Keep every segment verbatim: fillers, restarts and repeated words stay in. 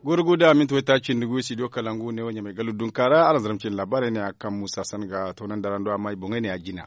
Goro guda minti wayta cindi gu studio kalangu ne wo ɲamay galu dunkaara araŋ zarma cindi laabaarey ne a kaŋ muusa san ga toonandi araŋ do amma i boŋey ne a jina.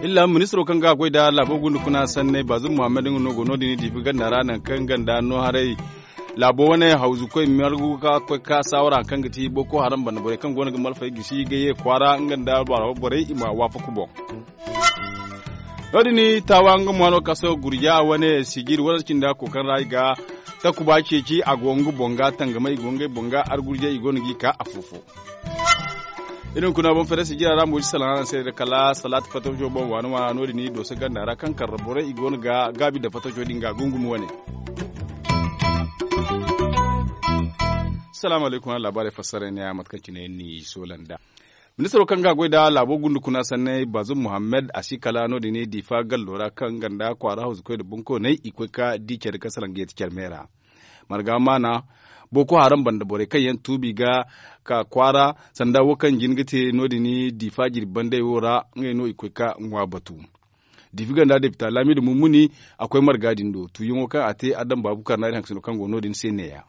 Illa ministiro kaŋ ga a goy nda laabo gunda kuna sanney baazum muhammad nga no go no- din diibi ganda ra nangu kaŋ ganda no haray laabo wane hawzu koy margu ka koy ka saawara hari kaŋ ga ti boko haram banda borey kaŋ go no ga malfey gisi ga ye kwaara nga nda baaro borey i ma waafaku boŋ. No- din taawa nga mo hano kaso gurja wane sijiri wane cindi a koy kaŋ ra i ga takuba ceeci a go nga boŋ ga tangama i go ngey boŋ ga argurjay i go no g'i ka afo-fo. Iri hunkuna boŋ fere sijira ra mo si salaŋ araŋ se da kala salaati fattaco boŋ waani waana no- din i dooso ganda ra kaŋ karra borey i go no ga gaabi nda fattaco din ga gungumi wane. Salaamu alaykum araŋ laabaarey fassaray ne ya mate kaŋ cine ni soola nda. Ministiro kaŋ ga a goy nda laabo gunda kuna sanney baazum muhammad a si kala no- din diifa gallo ra kaŋ ganda kwaara hawzu koy nda bunkooney i koy ka di care kaŋ salaŋ ga yeeti care me ra. Marga maana boko haram banda borey kaŋ yaŋ tuubi ga ka kwaara sanda wo kaŋ jin ga te no- din diifa jirbi bandey wo ra ngey no i koy ka ŋwa batu. Diifi ganda depita laamidu mummuni a koy marga din do tuuyaŋo kaŋ a te adam baabu karnaari hangasino kaŋ go no- din se neeya.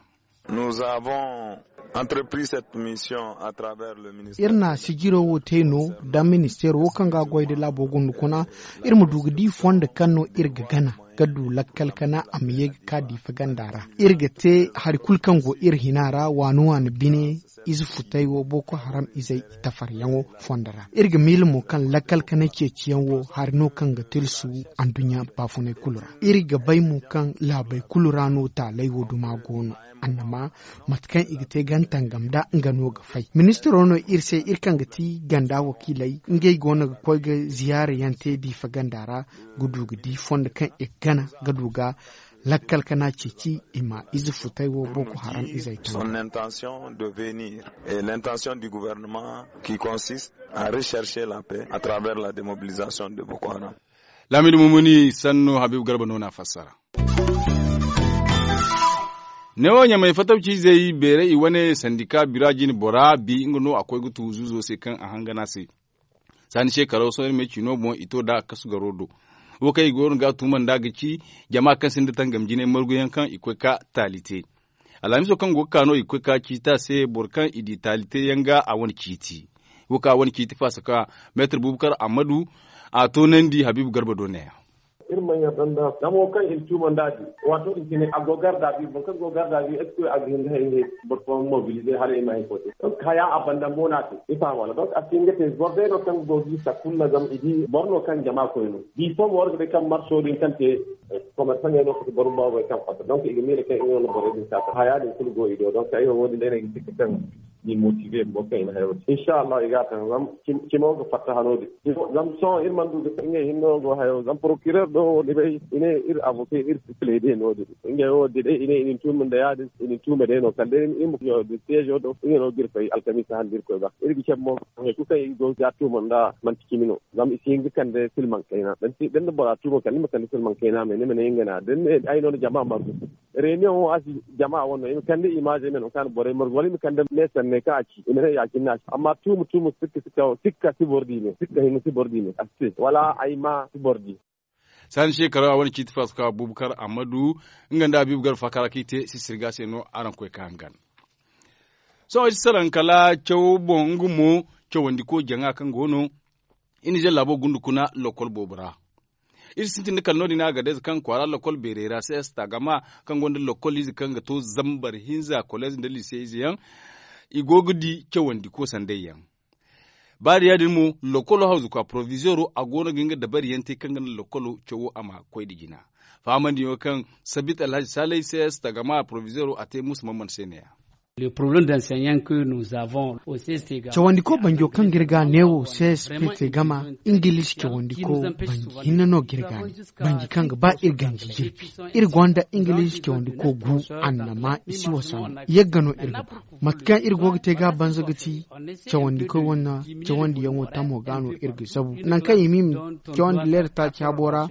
Iri na sijiro wo te no nda ministeero wo kaŋ ga a goy nda laabo gunda kuna iri ma du ga di fondo kaŋ no iri ga gana ga du lakkal kana a ma ye ga ka diifa ganda ra. Iri ga te hari kulu kaŋ go iri hina ra waani waani bine ize futay wo boko haram izey i tafaryaŋo fondo ra. Iri ga miila mo kaŋ lakkal kanay ceeciyaŋ wo hari no kaŋ ga tilsu anduɲɲa baafunay kulu ra. Iri ga bay mo kaŋ laabey kulu ra no taalay wo duma go no. Annama mate kaŋ i ga te gana tangam nda nga no ga fay ministiro no iri se iri kaŋ ga ti ganda wakiiley ngey go no ga koy ga ziyaara yaŋ te diifa ganda ra ga du ga di fondo kaŋ i ga gana ga du ga lakkal kana ceeci i ma ize futay wo boko haram izey taŋ. Son intention de venir et l'intention du gouvernement qui consiste à rechercher la paix à travers la demobilisation de boko haram. Laamidu mumuni sannu habiibu garba no na fassara. Neewo ɲamay fatawci izey beeray i wane sandika bira jine bora bi nga no a koy ga tu zuuzo se kaŋ a hangana se. Saani se karaw sohõ iri ma ay ci no boŋ i to nda a kasu garo do. Wo kaŋ i go no ga a tuuma nd'a ga ci jama kaŋ sinda tangam jinay marguyaŋ kaŋ i koy ka taali te. Alhamiso kaŋ go ga ka no i ga koy ka ciiti a se boro kaŋ i di taali te yaŋ ga a wane ciiti. Wo kaŋ a wane ciiti faasa ka meetar bubakar ammadu a toonandi habiibu garba do neeya. Iri mana yarda nda zama wo kaŋ iri tuuma nd'a din waato din cine a go garda bi boro kaŋ go garda bi est ce que a ga hin ga hayey boro fooyaŋ mobilize hala i ma hari fo te. Haya a banda mo no a te i faham wala donc a si hin ga te boro day no kaŋ go ga i sakkunna zama i di boro no kaŋ jama koy no. Bi fo mo war ga bay kaŋ marso din kaŋ te komersaŋey no kati boro baabey kaŋ fatta donc i ga miila kaŋ i no na borey din saasa haya din kulu go i do donc ay wo wo- din day no ay ga sikka kaŋ ni motive boro kaŋ i na hayo te inshallah i ga a taŋ zama cimo ga fatta hano din. Zama sohõ iri mana du ga ngey hinne no go hayo zama procureur do wo ni bay i ne iri avocat iri si plaider no- din. Ngey wo da day i ne i na ni tuuma nda ya- din i na ni tuuma day no kala day iri ma yo din siège do ngey no ga iri fay alkamiisa hande iri koy ga iri ga cabe mo hay kulu kaŋ iri go ga tuuma nda manti cimi no. Zama i si hin ga kande silmaŋ kayna da ni bora tuuma kala ni ma kande silmaŋ kayna me ni ma ne nga na da ni ne ay no na jama margu. Reunion wo a si jama wane no i ma kande image me no kaŋ a na borey margu wala i ma kande me sanney kaŋ a ci i ma ne ya- cine no a ci amma tuuma tuuma sikka sikka sikka si boro di me sikka hinne si boro di me a si te wala ay ma si boro di. Saani shekaru a wane ciiti faso kaŋ abubakar ammadu nga nda habiibu garba faakara kaŋ i te sisirga se no araŋ koy ka hangan. Sohõ iri si salaŋ kala cawo boŋ nga mo cawandiko jaŋa kaŋ go no iri na ize laabo gundu kuna lokol boobo ra. Iri sintin da kala no- din a ga day za kaŋ kwaara lokol beerey ra se esta gama kaŋ gonda lokol ize kaŋ ga to zambar hinza koleez nda lise ize yaŋ. I go ga di cawandiko sanday yaŋ. Ba da ya- din mo lokolo hawzu kwa provizoro a go no ga nga dabari yaŋ te kaŋ ga naŋ lokolo cawo a ma koy nda jina. Fahamandiyaŋo kaŋ sabit alhaji salay se esta gama provizoro a te muusa man man se ne- ya. Cawandiko banjo kaŋ ga iri ga neewo csp te gama ingilish cawandiko banji hinne no ga iri ga ne. Banji kaŋ ga ba iri ganji jirbi iri gonda ingilish cawandiko gu annama i si wasa no yagga no iri ga ba. Mate kaŋ iri go ga te ga banza ga ti cawandiko wane cawandiyaŋo tamo ga no iri ga zabu nangu kaŋ i ma i ma cawandi leera taaci habo ra.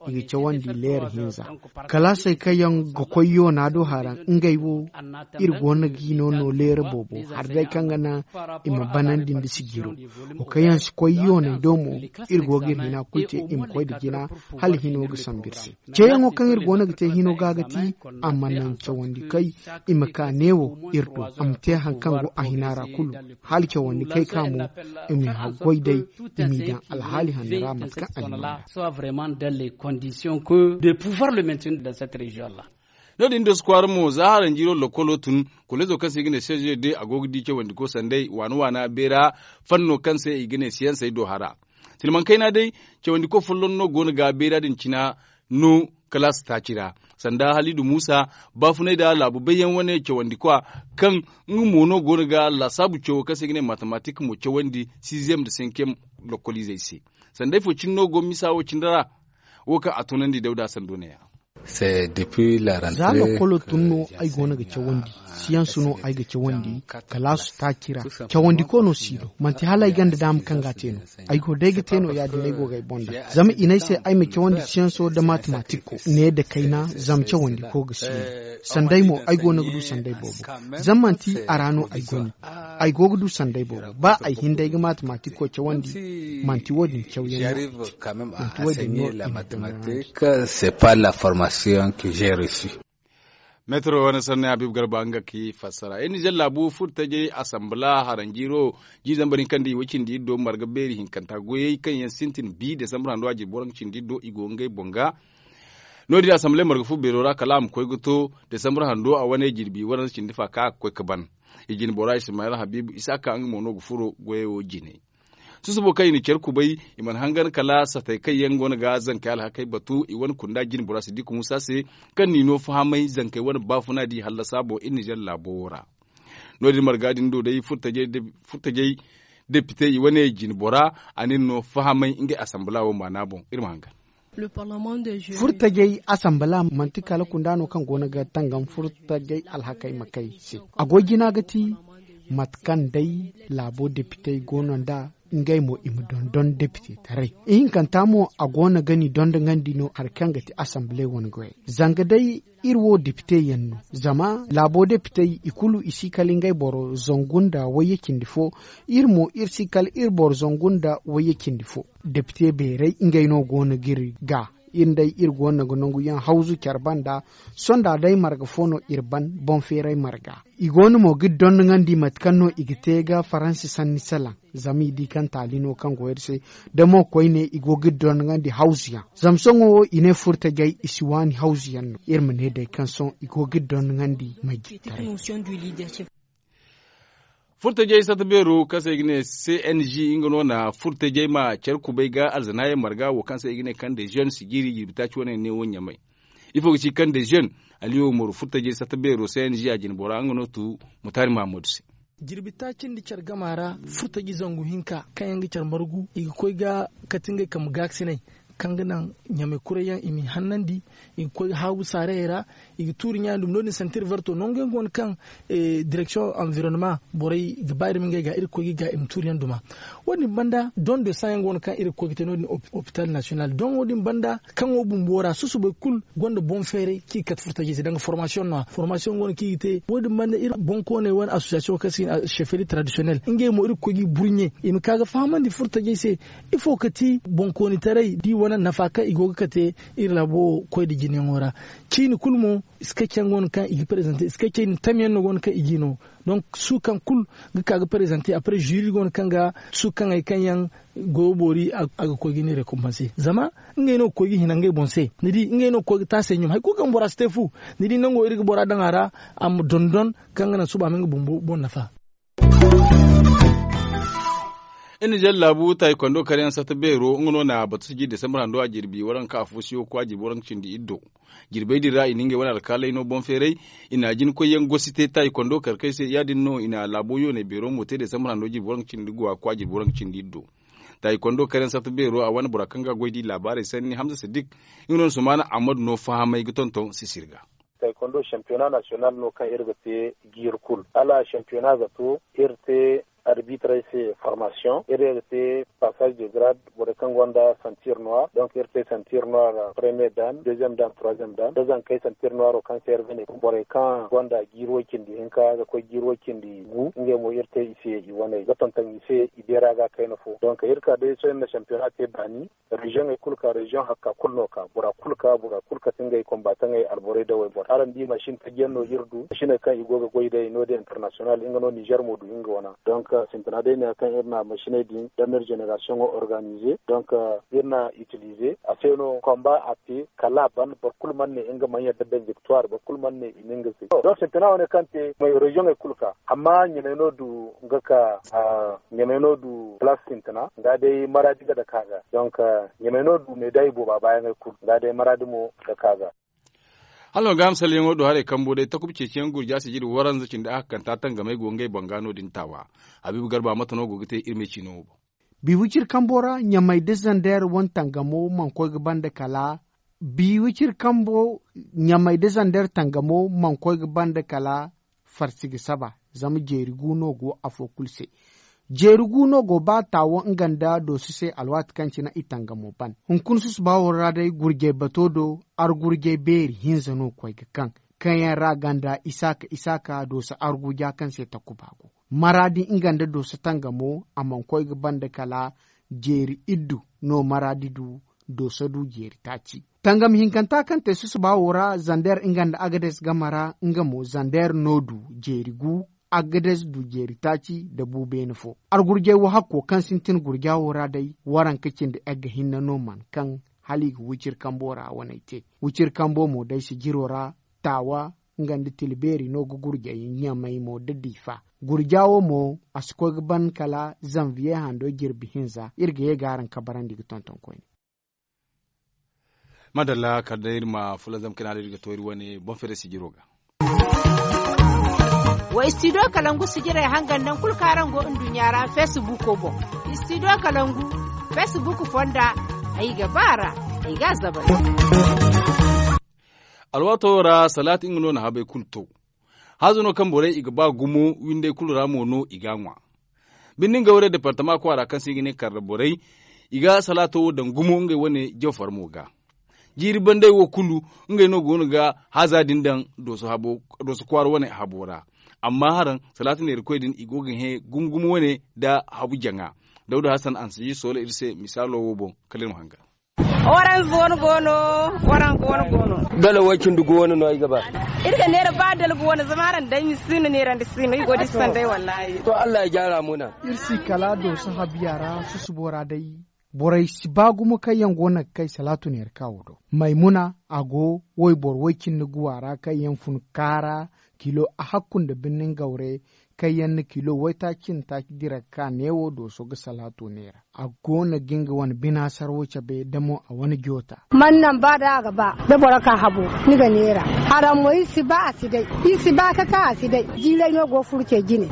I ga cawandi leera hinza kalaasey kaŋ yaŋ ga koy yoona do haraŋ ngey wo iri go no ga Hino no leera boobo hari day kaŋ ga naŋ i ma banandi nda sijiro. Wo kaŋ yaŋ si koy yooney do mo, iri go ga iri hina kulu te i ma koy nda jina hala hino ga sambu iri se. Ceeyaŋo kaŋ iri go no ga te hino ga ga ti a ma naŋ cawandi kay i ma ka neewo iri do a ma te hari kaŋ go a hina ra kulu. Hala cawandi kay ka mo i ma haggoy day i m'i daŋ alhaali hanno ra mate kaŋ a na. Soit vraiment dans les conditions que de pouvoir le maintenir dans cette région là. No- din da su kwaara mo za haranjiiro lokolo tun. Kolezo kaŋ se i ga ne sezo de a go ga di cawandiko sanday waana waana beera fanno kaŋ se i ga ne siyansey do hara. Silmaŋ kayna day cawandiko folloŋ no go no ga beera din cina no kalaasi taaci ra. Sanda halidu muusa baafunay da laabu bayyaŋ wane cawandikwa kaŋ nga mo no go no ga laasaabu cawo kaŋ se i ga ne matematik mo cawandi siiziyem nda senkiyem lokoliizey se. Sanday fo cine no go misa wo cine ra. Wo kaŋ a tunandi dawda sando neeya. Za lokolo tun no ay go no ga cawandi. Siyansu no ay ga cawandi. Kalaasu taaci ra cawandiko no si no manti hala ay ganda daama kaŋ ga a te no. Ay go day ga te no ya- din ay go ga ay boŋ daŋ zama i ne ay se ay ma cawandi siyanso nda matematikko ne nda kayna. Zama cawandiko ga si no sanday mo ay go no ga du sanday boobo. Zama manti a ra no ay go no ay go ga du sanday boobo ba ay hinday ga matematikko cawandi. Manti wo- din cawyaŋ no ay te manti wo- din no i ma dondonandi. C'est pas la formation que j'ai reçue. Metro wane sanni habib garba nga ki fassara iri nizer laabu furtajey asambala haranjiiro. Jiiri zambar hinka nda i way cindi iri do marga beeri hinkanta goyey kaŋ yaŋ sintin bi desambar hando a jirbi waranka cindi iri do i go ngey boŋ ga. No- din asambala marga fu beero ra kala a ma koy ga to desambar hando a wane jirbi waranka cindi fa kaŋ a ga koy ga ban. I jine bora ismayel habibu isaka nga mo no ga furo goyey wo jine. Susubo kaŋ i na care kubay i mana hangan kala satey kaŋ yaŋ go no ga zankey alhakey batu i wane kunda jine bora sidiku musa se kaŋ n'i no fahamay zankey wane baafuna da i hallasa boŋ iri nizer laabo wo ra. No- din marga din do day furtajey depite i wane jine bora a n'iri no fahamay ngey asambala wo maana boŋ iri ma hangan. Furtajey asambala manti kala kunda no kaŋ go no ga tangam furtajey alhakey ma kay se. A go jina ga ti mate kaŋ day laabo depitey go no nd'a ngey mo i ma dondon depite taray. Ihinkanta mo a go no ga ni dondongandi no hari kaŋ ga ti asambale wane goyey zanga day iri wo depite yaŋ no. Zama laabo depitey i kulu i si kala ngey boro zangu nda wayye cindi fo. Iri mo iri si kala iri boro zangu nda wayye cindi fo. Depite beerey ngey no go no ga iri ga iri nda iri go no ga nangu yaŋ hawzu care banda. Sonda day marga fo no iri ban boŋ feeray marga. I go no mo ga iri dondonandi mate kaŋ no i ga te ga faransi sanni salaŋ. Zama i di kaŋ taali no kaŋ go iri se da mo koyne i go ga iri dondonandi hawzu yaŋ. Zama sohõ wo i ne furtajey i si waani hawzu yaŋ no iri ma ne day kaŋ sohõ i go ga iri dondonandi ma jitaray. Furtajey sata beero kaŋ se i ga ne cng nga no na furtajey ma care kubay ga alzanaayaŋ marga wo kaŋ se i ga ne kande jeune sijiri jirbi taaci wane ne wo ɲamay. Ifo ga ci kande jeune? Aliyo moro furtajey sata beero cng a jine bora nga no tu mutaari mahammadu se. Jirbi taaci nda care gama ra furtaji zangu hinka kaŋ yaŋ ga care margu i ga koy ga kate ngey kambe gaakasiney kaŋ ga naŋ ɲamey kurey yaŋ i m'i hannandi. I ga koy ga haagu saarayey ra i ga tuuri ɲaani dumi no- din santir verto nangu yaŋ go no kaŋ direksiyoŋ anvironema borey ga ba iri ma ngey ga iri ga koy ga i ga i ma tuuri yaŋ duma. Wo- din banda don de san yaŋ go no kaŋ iri ga koy ga te no- din hopital nasiyonal don wo- din banda kaŋo bumbo ra susubay kulu gonda boŋ feeray kaŋ i ga kate furtajey se danga formasiyoŋ no- ya formasiyoŋ go no kaŋ i ga te wo- din banda iri boŋkooney wane asosiyasiyoŋ kaŋ se i ne sheferi tradisiyonel ngey mo iri ga koy ga i burɲe i ma ka ga fahamandi furtajey se ifo ga ti boŋkoonitaray da i wane nafa kaŋ i go ga kate iri laabo koy nda jinayaŋo ra. Ciini kulu mo skecey yaŋ go no kaŋ i ga prezante skecey din tamyaŋ no go no kaŋ i ga i no. Donk suukaŋ kulu ga ka ga prezante apre ziri go no kaŋ ga suukaŋey kaŋ yaŋ goyo boori a ga koy ga i ne rekompanse zama ngey no ga koy ga hina ngey boŋ se ni di ngey no ga koy ga taasey ɲum hari kulu kaŋ bora si te fu. Ni di nango iri ga bora daŋ a ra a ma dondon kaŋ ga naŋ suba a ma nga bumbo boŋ nafa. Iri na jalla laabu taaykondo kar yaŋ sata beero nga no na batu sijiri desambar hando a jirbi waranka afo siyo kwa jirbi waranka cindi iddo. Jirbey din ra i na ngey wane alkaaley no boŋ feeray. I na jinkoy yaŋ gosi te taaykondo kar kay se ya- din no i na laabo yooney beero mo te desambar hando jirbi waranka cindi guwa kwa jirbi waranka cindi iddo. Taaykondo kar yaŋ sata beero a wane bora kaŋ ga goy da i laabaarey sanni hamza siddik. Nga no na sumaana ahmadu no fahamay ga tonton sisir ga. Taekwondo shampiyona nasiyonal no kaŋ iri ga te jiiri kulu hala shampiyona ga to iri te Arbitrey se formasiyoŋ iri ga te, pasaj de grad borey kaŋ gonda santir noir donk iri te santir noir, premiye dan deziyeem dan troiziyeem dan da zankey santir noiro kaŋ se iri ga ne borey kaŋ gonda jiiri way cindi hinka ga koy jiiri way cindi gu ngey mo iri te i se i waney ga tonton i se. I beera ga kayna fo donk iri ka day sohõ iri na sampiyona te baani. Reziyoŋey kulu ka reziyoŋ hakka kulu no ka bora kulu ka bora kulu kate ngey kombataŋey alborey da wayboro araŋ di masin tajiyaŋ no iri du masiney kaŋ i go ga goy day no- din internasiyonal nga no nizer mo du nga wana donk sintina day ne kaŋ iri na masiney din da mir zenerasiyoŋo organize donk iri na itilize a se no komba a te kala a ban boro kulu mana ne nga mana yadda da viktuwar boro kulu mana ne i na nga se. Donk sintina wane kaŋ te reziyoŋey kulu ka amma ɲamay no du nga ka ɲamay no du plas sintina ga day maradi ga dake a ga donk ɲamay no du meday booba baayaŋey kulu ga day maradi mo ga dake a ga. Hala no ga hamsalyaŋo do haray kambo day takuba ceeciyaŋ gurja sijiri waranza cindi a hakkanta tangamey go ngey boŋ ga no- din taawa. Habiibu garba mate no go ga te iri me ciino wo boŋ. Bi wiciri kambo ra ɲamay da zander wane tangamo mana koy ga banda kala bi wiciri kambo ɲamay da zander tangamo mana koy ga banda kala farsi ga saba. Zama jeeri gu no go afo kulu se. Jeeri gu no go ba taawo nga nda dooso se alwaati kaŋ cine i tangamo ban hunkuna susuba wo ra day gurjay bato do argurjay beeri hinza no koy ga kaŋ kaŋ yaŋ ra ganda isaaka isaaka dooso arguja kaŋ se takuba go. Maraadi nga nda dooso tangamo a mana koy ga banda kala jeeri iddu no maraadi du. Dooso du jeeri taaci tangam hinkanta kaŋ te susuba wo ra zander nga nda agades game ra nga mo zander no du jeeri gu. Agades du jeeri taaci nda bu beene fo argurjay wo hakko kaŋ sintin gurja wo ra day waranka cindi egga hinne no mana kaŋ hala i ga wiciri kambo ra waney te. Wiciri kambo mo day sijiro ra taawa nga nda tilbeeri no ga gurjay ɲamay mo nda diifa. Gurja wo mo a si koy ga ban kala zanviye hando jirbi hinza iri ga ye ga araŋ kabarandi ga tonton koyne. Madalla kala day iri ma fulanzam kayna da iri ga to iri wane boŋ fere sijiro ga. Wa istidiyo kalangu sijirey hangan naŋ kulu kaŋ araŋ go nduɲɲa ra feesibuuko boŋ. Istidiyo kalangu feesibuuku fonda. Ay ga ba a ra ay ga a zabari. Alwaato wo ra salaati nga no na habey kulu to. Hazo no kaŋ borey i ga ba gumo windey kulu ra mo no i ga a ŋwa. Birni ngawre departama kwaara kaŋ se i ga ne karra borey i ga salaato wo daŋ gumo ngey wane jawfar mo ga. Jiiri bandey wo kulu ngey no go no ga haza din daŋ dooso kwaara wane habo ra. Amma haraŋ salaati neerakoy din i go ga hẽ gumo gumo wane nda habu jaŋa. Dawda hasan a na si sola iri se misaalo wo boŋ kala iri ma hangan. Waranza wane go no. Waranza wane go no. Dala way cindi gu wane no ay ga ba. Iri ga neera ba dalbu wane zama araŋ day ni si no neerandi si no i go da i sanday wallahi. To allah ya jaara muna. Iri si kala dooso habiya ra susubo ra day. Borey si ba gumo kaŋ yaŋ go no ga kay salaatu neera ka wo do. Maymuna a go wayboro way cindi guwa ra kaŋ yaŋ fun kaara kilo a hakku nda birnin gawre kaŋ yaŋ na kilo waytaaci nda taaci dira ga ka neewo dooso ga salaato neera. A go no ga nga wane bina sarwo cabe da mo a wane joota. Man naŋ ba da a ga ba da boro ka habo ni ga neera. Haraŋ mo iri si ba a si day. Iri si ba ka ka a si day. Jiiray no go furo ce jine.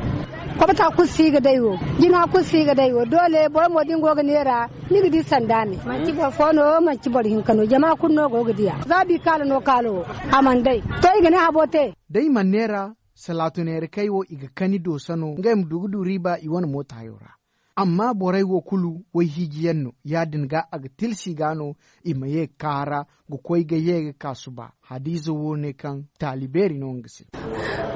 Kobta kulu si ga day wo. Jina kulu si ga day wo doole boro mo da ni go ga neera. Ni ga di sanda me manti boro fo no manti boro hinka no jama kulu no go ga diya za bi kaala no kaalo wo. A mana day to i ga ne habo te. Da i mana neera salaato neera kay wo i ga kani doosa no ngey ma du ga du riiba i wane mootayo ra. Amma borey wo kulu wayhiiji yaŋ no ya- din ga a ga tilsi ga no i ma ye ga kaara ga koy ga ye ga ka suba. Hadiiza wo ne kaŋ taali beeri no nga se.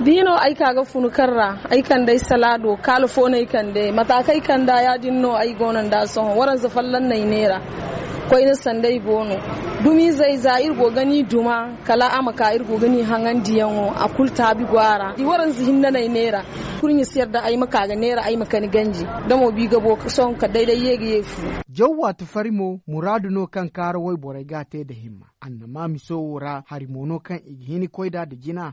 Da i no ay ka ga funu kaŋ ra ay kande ay salaado kaala fo no ay kande mata kaŋ ay kanda ya- din no ay go no nd'a sohõ waranza folloŋ no ay neera. Koyne sanda ay go no dumiizey za iri go ga ni duma kala a ma ka iri go ga ni haŋandiyaŋo a kulu taabi go a ra waranza hinne no ay neera. Kurɲe si yadda ay ma ka ga neera ay ma kani ganji da mo bi ga bo sohõ kala day day ye ga ye fu. Jaw waati fari mo muraadu no kaŋ kaara wayborey ga a te nda himma. Annama miso wo ra hari mo no kaŋ i ga hin ga koy nd'a nda jina.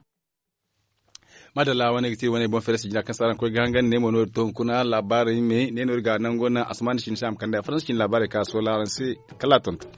Madalla wane ga te wane boŋ fere si jina kaŋ se araŋ koy ga hangan ne mo no iri to hunkuna laabaarey me ne no iri ga nango naŋ asamaani cine se a ma kande a faransi cine laabaarey kaŋ a soola araŋ se. Kala a tonton.